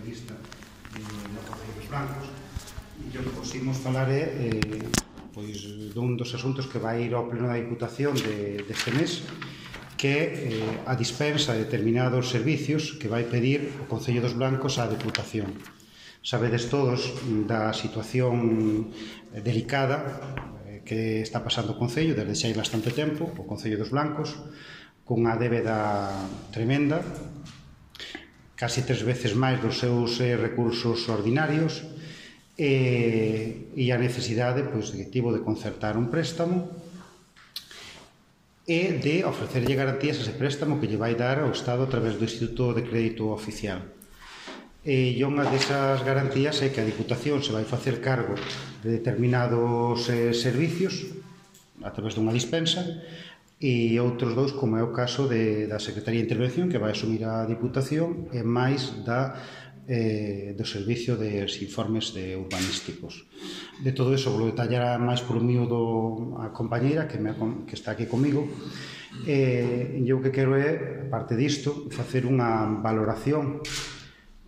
socialista no Concello dos Blancos, e o que vos imos falar é dun dos asuntos que vai ir ao pleno da Diputación deste mes, que é a dispensa de determinados servicios que vai pedir o Concello dos Blancos á Diputación. Sabedes todos da situación delicada que está pasando o Concello desde xa hai bastante tempo, o Concello dos Blancos, cunha débeda tremenda, casi 3 veces máis dos seus recursos ordinarios, e a necesidade que tivo de concertar un préstamo e de ofrecerlle garantías a ese préstamo que lle vai dar ao Estado a través do Instituto de Crédito Oficial. E unha desas garantías é que a Diputación se vai facer cargo de determinados servicios a través dunha dispensa, e outros dous, como é o caso da Secretaría de Intervención, que vai asumir a Diputación, e máis do servicio dos informes urbanísticos. De todo iso, vou detallar máis por un miúdo a compañeira que está aquí comigo, e eu que quero é, aparte disto, facer unha valoración,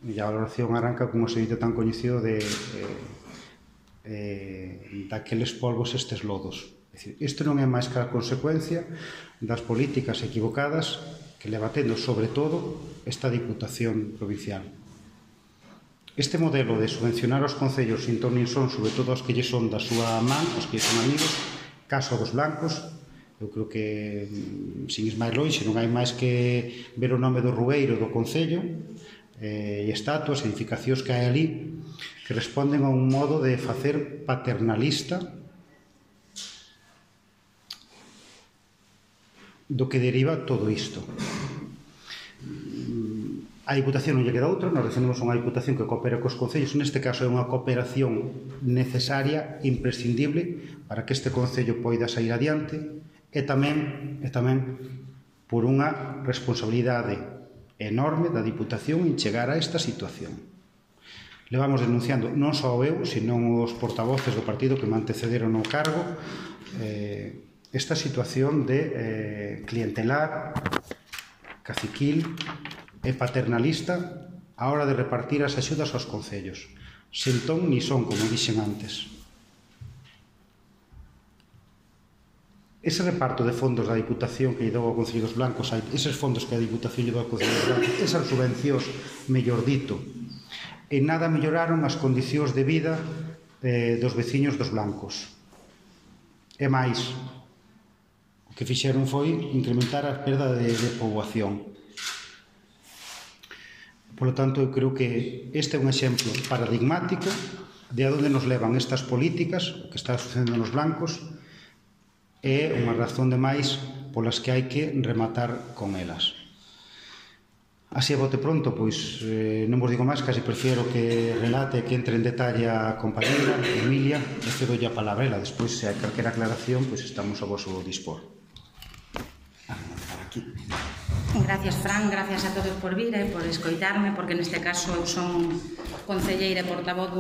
e a valoración arranca con un servicio tan coñecido daqueles polvos, estes lodos. Isto non é máis que a consecuencia das políticas equivocadas que leva tendo, sobre todo, esta Diputación Provincial. Este modelo de subvencionar os concellos sin ton nin son, sobre todo os que lle son da súa man, os que lle son amigos, caso dos blancos, eu creo que, sin ir máis lonxe, non hai máis que ver o nome do rueiro do concello, e estatuas, edificacións que hai ali, que responden a un modo de facer paternalista do que deriva todo isto. A Diputación non lle queda outra, nos defendemos unha Diputación que coopera cos concellos, neste caso é unha cooperación necesaria, imprescindible, para que este concello poida sair adiante, e tamén por unha responsabilidade enorme da Diputación en chegar a esta situación. Levamos denunciando, non só eu, senón os portavoces do partido que me antecederon no cargo, esta situación de clientelar, caciquil e paternalista a hora de repartir as axudas aos concellos. Sen ton ni son, como dixen antes. Ese reparto de fondos da Diputación que lle dou ao Concello dos Blancos, eses fondos que a Diputación lle dou ao Concello dos Blancos, esas subvencións, mellor dito, en nada melloraron as condicións de vida dos veciños dos blancos. E máis, o que fixeron foi incrementar a perda de poboación. Por lo tanto, eu creo que este é un exemplo paradigmático de a onde nos levan estas políticas, o que está sucedendo nos blancos, é unha razón de máis polas que hai que rematar con elas. Así a bote pronto, pois non vos digo máis, casi prefiero que relate, que entre en detalle a compañera Emilia, e cedolle a palabra ela. Despois, se hai calquera aclaración, pois estamos a vosso dispor. Aquí. Gracias, Fran, gracias a todos por vir e por escoitarme, porque neste caso eu son concelleira e portavoz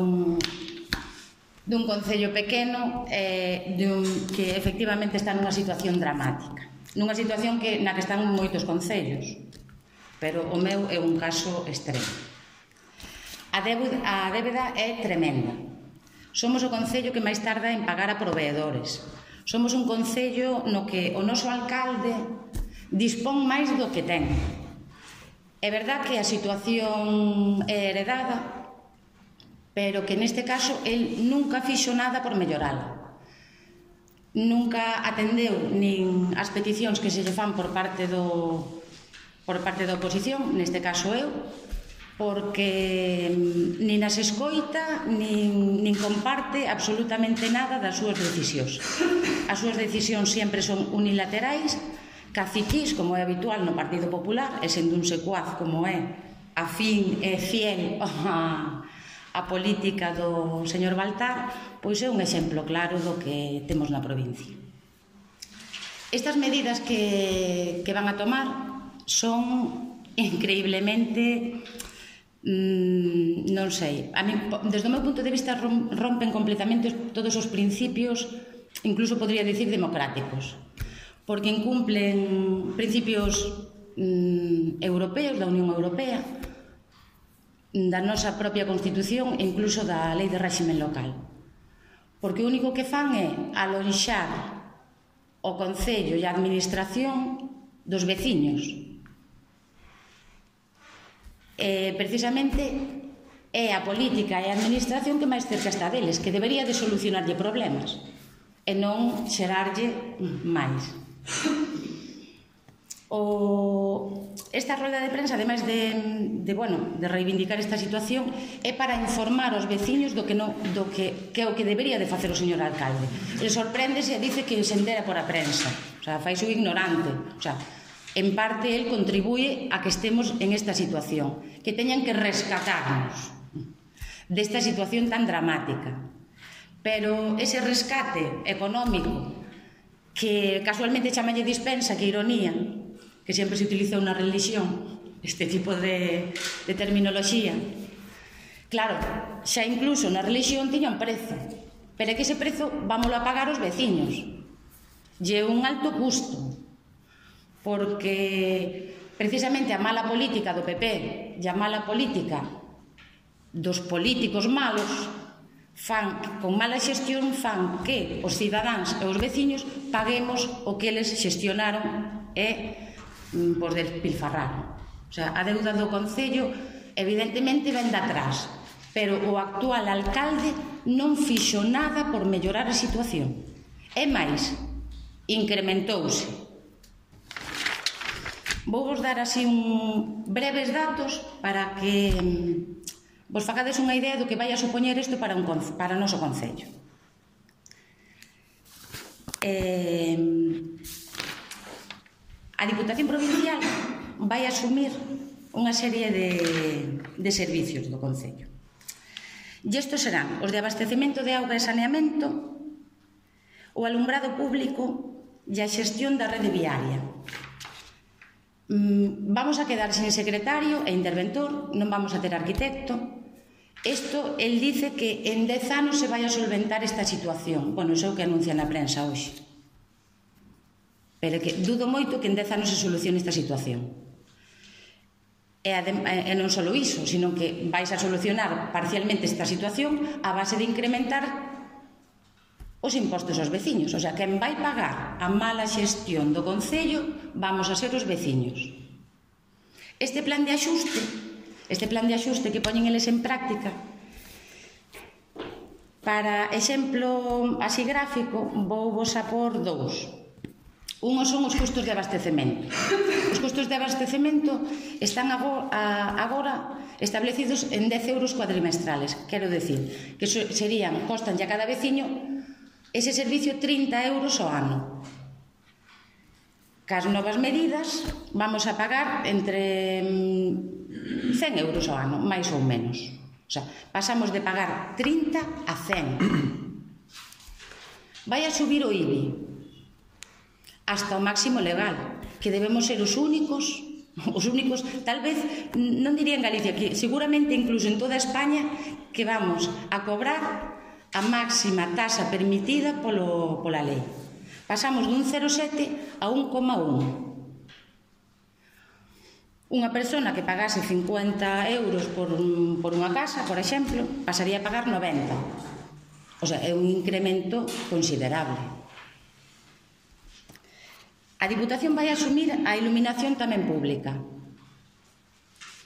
dun concello pequeno que efectivamente está nunha situación dramática, nunha situación na que están moitos concellos, pero o meu é un caso extremo. A débeda é tremenda. Somos o concello que máis tarda en pagar a proveedores. Somos un concello no que o noso alcalde dispón máis do que ten. É verdad que a situación é heredada, pero que neste caso el nunca fixo nada por mellorala. Nunca atendeu nin as peticións que se lle fan por parte da oposición, neste caso eu, porque nin as escoita, nin comparte absolutamente nada das súas decisións. As súas decisións sempre son unilaterais, caciquís, como é habitual no Partido Popular, e sendo un secuaz como é afín e fiel a política do señor Baltar, pois é un exemplo claro do que temos na provincia. Estas medidas que van a tomar son increíblemente, non sei, a mí, desde o meu punto de vista rompen completamente todos os principios, incluso podría dicir democráticos, porque incumplen principios europeos da Unión Europea, da nosa propia Constitución e incluso da Lei de Réximen Local. Porque o único que fan é alonxar o Concello e a Administración dos veciños. Precisamente é a política e a Administración que máis cerca está deles, que debería de solucionarlle problemas e non xerarlle máis. Esta rolda de prensa, ademais de reivindicar esta situación, é para informar os veciños do que é o que debería de facer o señor alcalde. Ele sorpréndese e dice que se entera por a prensa, o sea, faise o ignorante, o sea, en parte el contribúe a que estemos en esta situación, que teñan que rescatarnos desta situación tan dramática. Pero ese rescate económico, que casualmente chamalle dispensa, que ironía, que sempre se utilizou na religión, este tipo de terminoloxía. Claro, xa incluso na religión tiña un prezo, pero é que ese prezo vámoslo a pagar os veciños. Lle un alto custo, porque precisamente a mala política do PP e a mala política dos políticos malos con mala xestión fan que os cidadáns e os veciños paguemos o que eles xestionaron e por despilfarrar. O sea, a deuda do Concello evidentemente ven de atrás, pero o actual alcalde non fixo nada por mellorar a situación. E máis, incrementouse. Vou vos dar así breves datos para que vos facades unha idea do que vai a supoñer isto para o noso Concello. A Diputación Provincial vai asumir unha serie de servicios do Concello. E estes serán os de abastecemento de auga e saneamento, o alumbrado público e a xestión da rede viaria. Vamos a quedar sin secretario e interventor, non vamos a ter arquitecto. Isto, el dice que en 10 anos se vai a solventar esta situación. Bueno, iso é o que anuncia na prensa hoxe. Pero que dudo moito que en 10 anos se solucione esta situación. E non só iso, sino que vais a solucionar parcialmente esta situación a base de incrementar os impostos aos veciños. O sea, quen vai pagar a mala xestión do Concello vamos a ser os veciños. Este plan de axuste que poñen eles en práctica, para exemplo así gráfico, vou vos a por dous. Unos son os custos de abastecemento. Os custos de abastecemento están agora establecidos en 10 euros cuatrimestrales. Quero decir, que costan a cada veciño ese servicio 30 euros ao ano. Cas novas medidas vamos a pagar entre 100 euros ao ano, máis ou menos. O sea, pasamos de pagar 30 a 100. Vai a subir o IBI hasta o máximo legal, que debemos ser os únicos, tal vez, non diría en Galicia, que seguramente incluso en toda España, que vamos a cobrar a máxima tasa permitida pola lei. Pasamos dun 0,7 a 1,1. Unha persona que pagase 50 euros por unha casa, por exemplo, pasaría a pagar 90. O sea, é un incremento considerable. A Diputación vai asumir a iluminación tamén pública.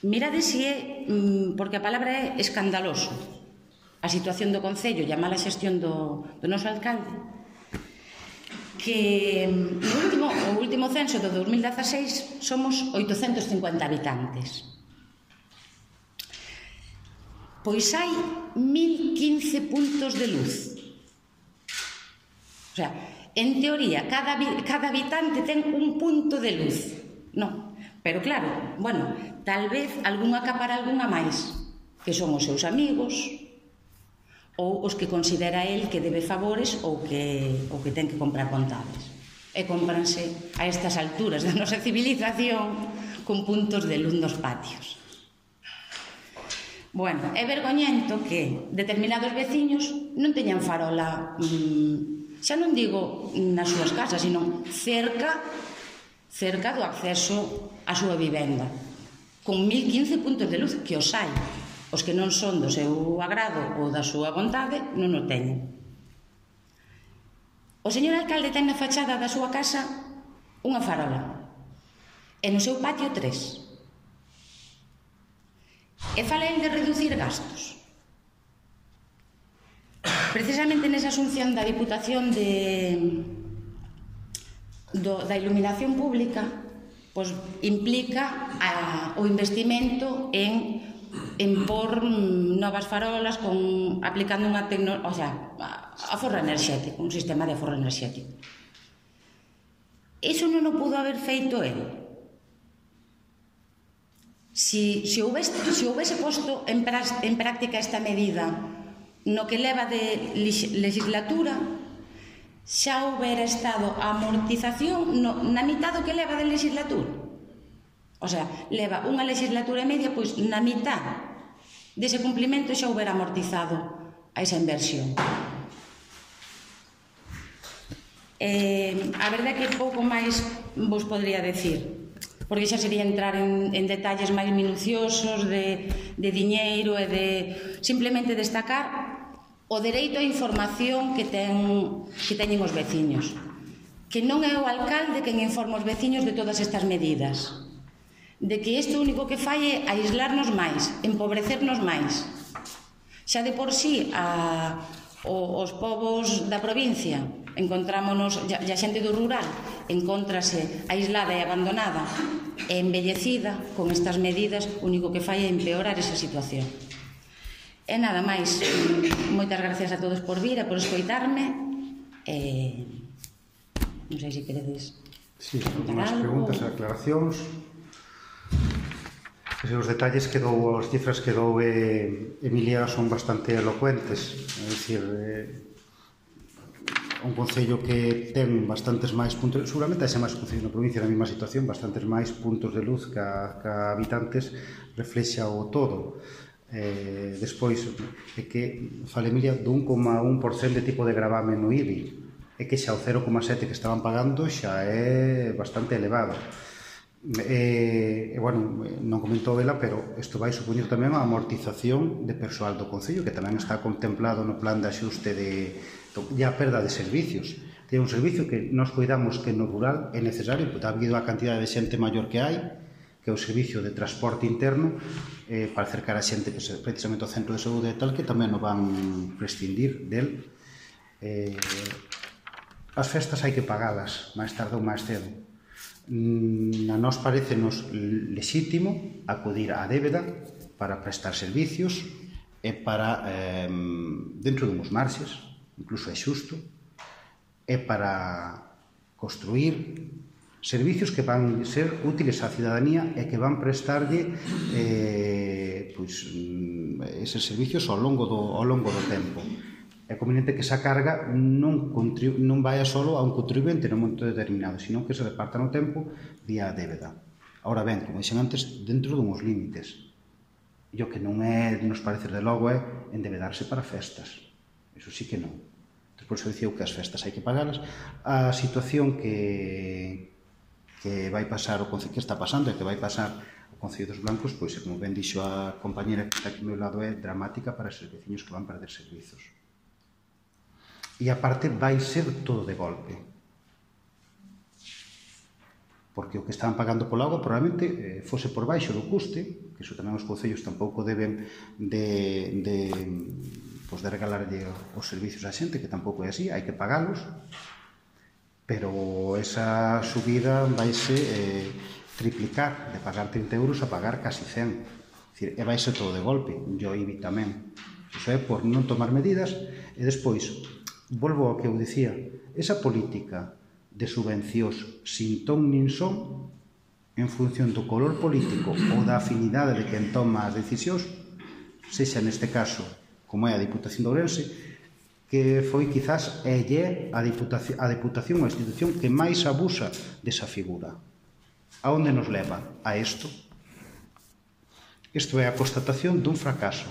Mirade se é, porque a palabra é escandaloso, a situación do Concello e a mala xestión do noso alcalde, que o último censo do 2016 somos 850 habitantes. Pois hai 1015 puntos de luz. O sea, en teoría, cada habitante ten un punto de luz. Non, pero claro, bueno, tal vez algún acapara algunha máis, que son os seus amigos, ou os que considera el que debe favores ou que ten que comprar contables. E cómpranse a estas alturas da nosa civilización con puntos de luz nos patios. Bueno, é vergoñento que determinados veciños non teñan farola, xa non digo nas súas casas, sino cerca do acceso á súa vivenda, con 1015 puntos de luz, que os hai. Os que non son do seu agrado ou da súa vontade non o teñen. O señor alcalde ten na fachada da súa casa unha farola e no seu patio 3. E fala el de reducir gastos. Precisamente nesa asunción da Diputación da iluminación pública, pois implica o investimento en por novas farolas aplicando unha tecnoloxía, o sea, aforro enerxético, un sistema de aforro enerxético. Iso non o pudo haber feito el. Se houvese posto en práctica esta medida no que leva de legislatura, xa houbera estado a amortización na mitad do que leva de legislatura. O sea, leva unha legislatura e media, pois na mitad dese cumplimento xa houbera amortizado a esa inversión. A verdade é que pouco máis vos podría decir, porque xa sería entrar en detalles máis minuciosos de diñeiro e de simplemente destacar o dereito á información que teñen os veciños, que non é o alcalde quen informa os veciños de todas estas medidas, de que isto único que fai é aislarnos máis, empobrecernos máis. Xa de por sí os povos da provincia encontrámonos, e a xente do rural encóntrase aislada e abandonada e embellecida. Con estas medidas o único que fai é empeorar esa situación. E nada máis, moitas gracias a todos por vir e por escoitarme. Non sei se queredes. Sí, unhas preguntas e aclaracións. Os detalles que dou, as cifras que dou Emilia son bastante elocuentes. É dicir, un concello que ten bastantes máis puntos, seguramente hai máis concellos na provincia na mesma situación, bastantes máis puntos de luz que habitantes, reflexa o todo. Despois, é que fala Emilia do 1,1% de tipo de gravame no IBI, é que xa o 0,7% que estaban pagando xa é bastante elevado. Bueno, non comentou ela, pero isto vai supoñer tamén a amortización de persoal do concello, que tamén está contemplado no plan de axuste e a perda de servicios. Ten un servicio que nós cuidamos que no rural é necesario, porque ha habido a cantidad de xente maior que hai, que é o servicio de transporte interno, para acercar a xente precisamente ao centro de saúde e tal, que tamén non van prescindir del. As festas hai que pagalas, máis tarde ou máis cedo. A nós parecenos lexítimo acudir á débeda para prestar servicios e para, dentro dunhos marxes, incluso é xusto, e para construir servicios que van ser útiles á cidadanía e que van prestarlle eses servicios ao longo do tempo. É conveniente que esa carga non vaya solo a un contribuinte nun momento determinado, sino que se reparta no tempo vía a débeda. Ahora ben, como dixen antes, dentro dunhos límites. E o que non é, nos parece de logo, é endebedarse para festas. Eso sí que non. Por iso dicía que as festas hai que pagalas. A situación que vai pasar, que está pasando e que vai pasar o Concello dos Blancos, pois, como ben dixo a compañera que está aquí ao meu lado, é dramática para os veciños que van perder servizos. E aparte vai ser todo de golpe, porque o que estaban pagando pola auga probablemente fose por baixo do custe, que iso tamén os concellos tampouco deben de regalarlle os servicios á xente, que tampouco é así, hai que pagalos, pero esa subida vaise triplicar, de pagar 30 euros a pagar casi 100, e vai ser todo de golpe, e o IBI tamén. Iso é por non tomar medidas. E despois volvo ao que eu dicía, esa política de subvencións sin ton nin son, en función do color político ou da afinidade de quen toma as decisións, sexa neste caso, como é a Diputación de Ourense, que foi quizás a Diputación ou a institución que máis abusa desa figura. A onde nos leva? A isto. Isto é a constatación dun fracaso.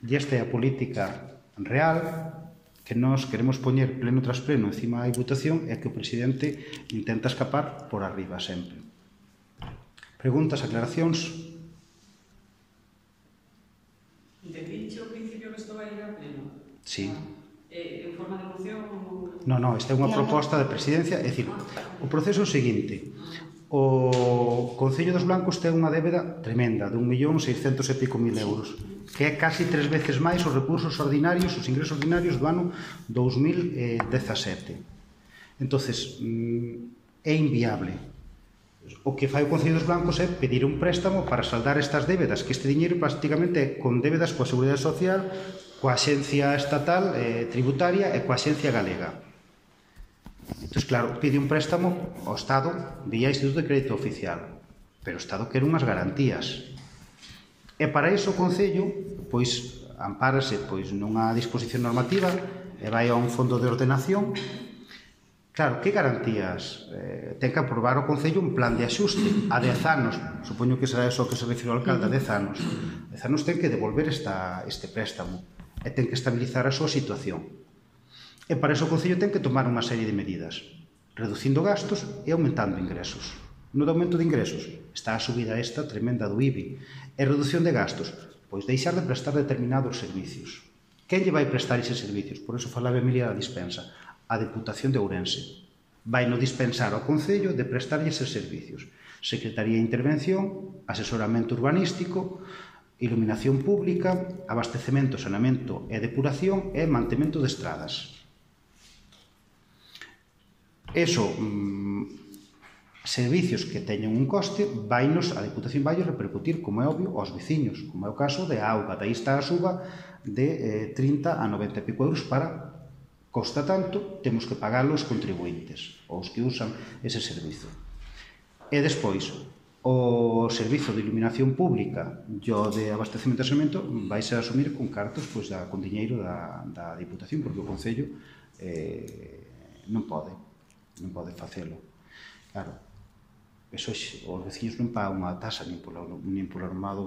E esta é a política real que nós queremos poñer pleno tras pleno encima da Diputación e que o presidente intenta escapar por arriba sempre. Preguntas, aclaracións? Sí. En forma de moción? Non, esta é unha proposta de presidencia. É dicir, o proceso é o seguinte. O Concello dos Blancos ten unha débeda tremenda de 1.600.000 e pico euros, que é casi 3 veces máis os recursos ordinarios, os ingresos ordinarios do ano 2017. Entonces, é inviable. O que fai o Concello dos Blancos é pedir un préstamo para saldar estas débedas, que este diñeiro prácticamente é con débedas coa Seguridade Social, coa Axencia Estatal Tributaria e coa Axencia Galega. Entón, claro, pide un préstamo ao Estado vía Instituto de Crédito Oficial, pero o Estado quere unhas garantías. E para iso o Concello, pois, ampárase nunha disposición normativa e vai a un fondo de ordenación. Claro, que garantías? Ten que aprovar o Concello un plan de axuste a 10 anos. Supoño que será eso que se refire ao alcalde, a 10 anos. 10 anos ten que devolver este préstamo e ten que estabilizar a súa situación. E para iso o Concello ten que tomar unha serie de medidas, reducindo gastos e aumentando ingresos. No de aumento de ingresos está a subida esta tremenda do IBI. E reducción de gastos, pois deixar de prestar determinados servicios. Quen lle vai prestar eses servicios? Por iso falaba Emilia da dispensa. A Deputación de Ourense vai no dispensar ao Concello de prestarlle eses servicios. Secretaría de Intervención, asesoramento urbanístico, iluminación pública, abastecemento, saneamento e depuración e mantemento de estradas. Eso, servicios que teñen un coste, a Deputación vai repercutir, como é obvio, aos veciños, como é o caso de auga. Daí está a suba de 30 a 90 e pico euros para costa tanto, temos que pagar os contribuintes, os que usan ese servizo. E despois, o servizo de iluminación pública e o de abastecemento e saneamento vai ser asumir con cartos, con diñeiro da Diputación, porque o Concello non pode facelo. Claro, eso os veciños non pagan unha tasa nin polo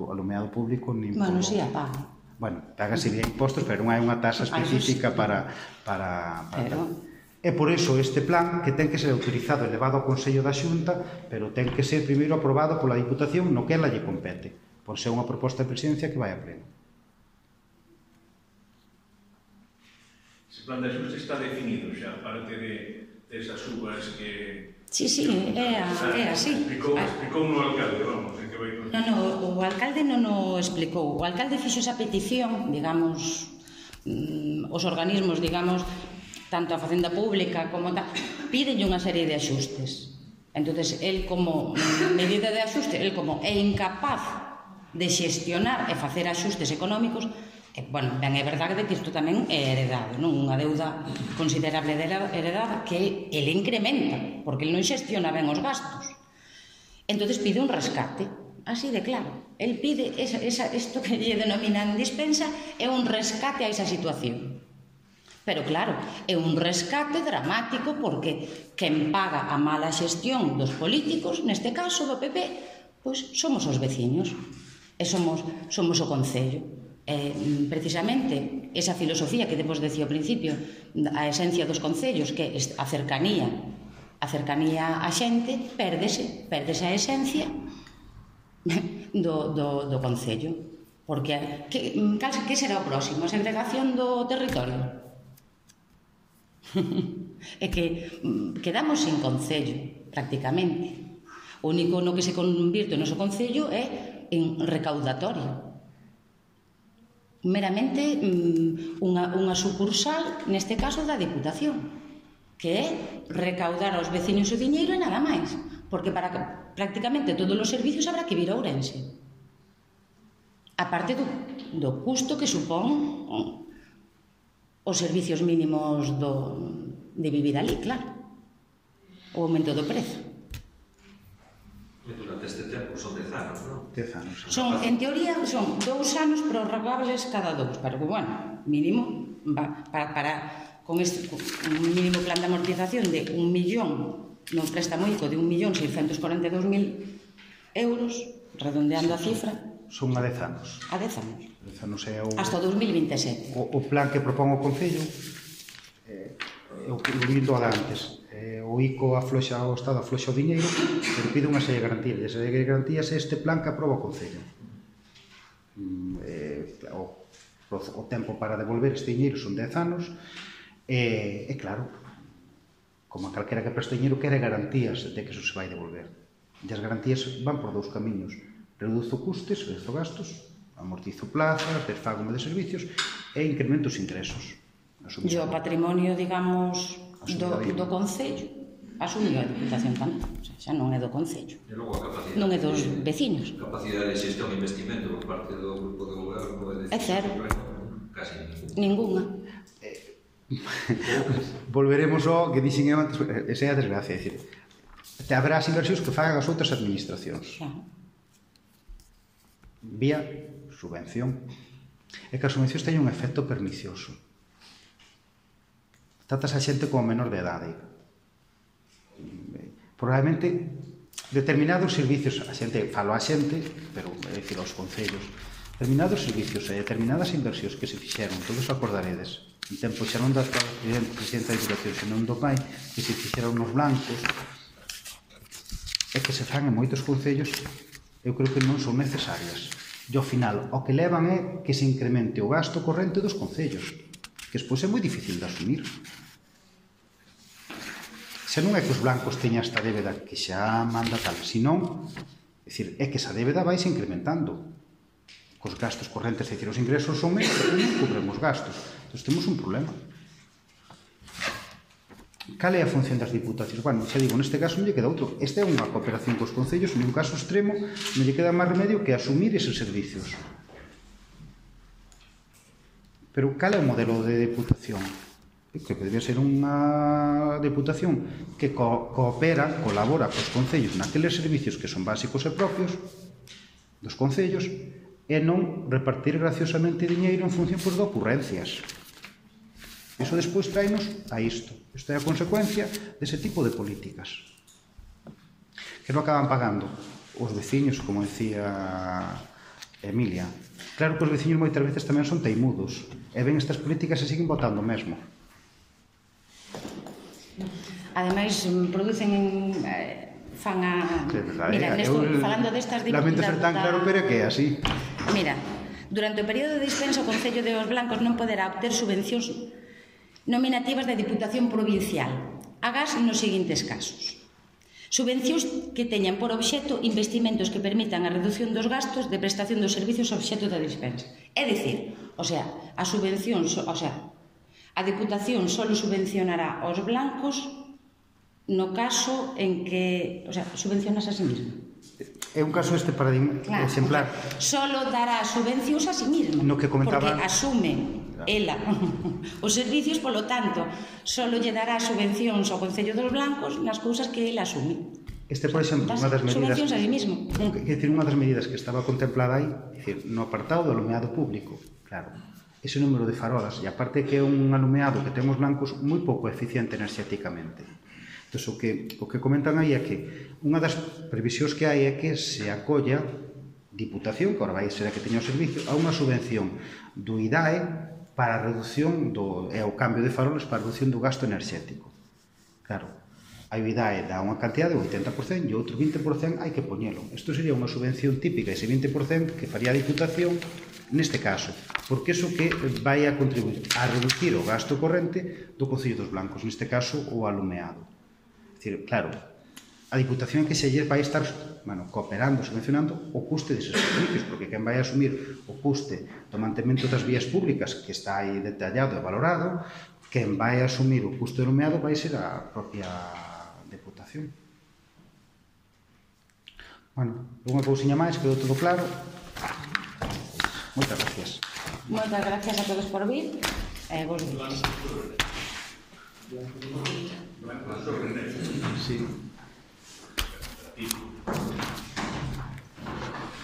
alumeado público, nin polo... Bueno, si a pagan. Bueno, págase vía impostos, pero non hai unha tasa específica para... É por iso este plan que ten que ser autorizado e levado ao Consello da Xunta, pero ten que ser primeiro aprobado pola Diputación no que ela lle compete, por ser unha proposta de presidencia que vai a pleno. Ese plan de axuste está definido xa, aparte desas subas que... Sí, é así. Explicou no alcalde, vamos, en que vai... Non, o alcalde non o explicou. O alcalde fixo esa petición, digamos, os organismos, digamos, tanto a Facenda Pública como tal, pídenlle unha serie de axustes. Entonces, el como medida de axuste, el como é incapaz de xestionar e facer axustes económicos, bueno, ben é verdade que isto tamén é heredado, non? Unha deuda considerable heredada que ele incrementa, porque ele non xestiona ben os gastos. Entonces pide un rescate, así de claro. El pide, isto que lle denominan dispensa, é un rescate a esa situación. Pero claro, é un rescate dramático porque quen paga a mala xestión dos políticos, neste caso do PP, pois somos os veciños e somos o Concello. Precisamente esa filosofía que depois decía ao principio, a esencia dos concellos, que é a cercanía á xente, pérdese a esencia do Concello. Porque que será o próximo? A segregación do territorio? É que quedamos sin Concello, prácticamente. O único no que se convirte o noso Concello é en recaudatorio. Meramente unha sucursal, neste caso, da Diputación, que é recaudar aos veciños o diñeiro e nada máis, porque para prácticamente todos os servicios habrá que vir a Ourense. A parte do custo que supón os servicios mínimos de vivir ali, claro, o aumento do prezo. Durante este tempo son 10 anos, non? 10 anos. En teoría, son 2 anos prorrogables cada 2, pero que, bueno, mínimo, con un mínimo plan de amortización de 1 millón, non préstamo ICO de 1.642.000 euros, redondeando a cifra. Son a 10 anos. A 10 anos. 10 anos é o... Hasta 2027. O plan que propón o Concello é o que vindo a antes. O ICO afloxa o Estado, afloxa o diñeiro, pero pide unha serie de garantías. E a serie de garantías é este plan que aproba o Concello. O o tempo para devolver este diñeiro son 10 anos, e claro, como a calquera que presta diñeiro, quere garantías de que eso se vai devolver. E as garantías van por dous camiños: reduzo custes, reduzo gastos, amortizo plazas, desfágome de servicios e incremento os ingresos. E o patrimonio, digamos, do Concello asumiu a Diputación tamén, xa non é do Concello, E logo a capacidade, non é dos veciños. a capacidade de xestión e investimento por parte do grupo de goberno É cero. Casi Ninguna. Volveremos ao que dixen eu antes, esa é a desgracia, é dicir, haberá as inversións que fagan as outras administracións vía subvención. É que as subvencións teñen un efecto pernicioso. Tratas a xente como menor de edade. Probablemente determinados servicios, a xente, falo a xente, pero é dicir aos concellos, determinados servicios e determinadas inversións que se fixeron, todos acordaredes, en tempo xa non da presidenta da Diputación, senón do pai, que se fixeron nos blancos, e que se fan en moitos concellos, eu creo que non son necesarias. E ao final, o que levan é que se incremente o gasto corrente dos concellos, que despois é moi difícil de asumir. Se non é que os blancos teñan esta débeda que xa manda tal, senón, é dicir, é que esa débeda vai se incrementando. Cos gastos correntes, é dicir, os ingresos son menos, pero non cubren os gastos. Entón, temos un problema. Cal é a función das diputacións? Bueno, xa digo, neste caso non lle queda outro. Esta é unha cooperación cos concellos, en un caso extremo, non lle queda máis remedio que asumir eses servicios. Pero cal é o modelo de diputación? Que podría ser unha diputación que coopera, colabora cos concellos naqueles servicios que son básicos e propios dos concellos e non repartir graciosamente diñeiro en función de ocurrencias. Iso despois traenos a isto. Isto é a consecuencia dese tipo de políticas. Que non acaban pagando os veciños, como decía Emilia. Claro que os veciños moitas veces tamén son teimudos e ven estas políticas e siguen votando mesmo. Ademais, producen fan a... Mira, falando destas diputadas... Lamento ser tan claro, pero é que é así. Mira, durante o período de dispensa o Concello de Os Blancos non poderá obter subvencións nominativas da Diputación Provincial, agás nos seguintes casos. Subvencións que teñan por obxecto investimentos que permitan a reducción dos gastos de prestación dos servicios obxecto da dispensa. É dicir, a subvención, a Diputación só subvencionará aos blancos no caso en que, subvencionas a sí mesma. É un caso este paradigma exemplar. Solo dará subvencións a sí mesma, no que comentaba, porque asume ela os servicios, polo tanto, solo lle dará subvencións ao Concello dos Blancos nas cousas que ela asume. Este, por exemplo, unha das medidas, subvencións a sí mesmo. Unha das medidas que estaba contemplada aí, no apartado do alumeado público, claro, ese número de farolas, e aparte que é un alumeado que ten os blancos moi pouco eficiente enerxéticamente. Entón, o que comentan aí é que unha das previsións que hai é que se acolla Diputación, que agora vai ser a que teña o servicio, a unha subvención do IDAE para a reducción e o cambio de farolas para a reducción do gasto enerxético. Claro, a IDAE dá unha cantidad de 80% e outro 20% hai que poñelo. Isto sería unha subvención típica, ese 20% que faría a Diputación neste caso, porque iso que vai a contribuir a reducir o gasto corrente do Concello dos Blancos, neste caso o alumeado. Claro, a Diputación que se lle vai estar cooperando, subvencionando o custe deses servicios, porque quen vai asumir o custe do mantemento das vías públicas, que está aí detallado e valorado, quen vai asumir o custe do alumeado vai ser a propia Diputación. Bueno, unha cousiña máis, quedou todo claro. Moitas gracias. Moitas gracias a todos por vir. Vos días. Sí.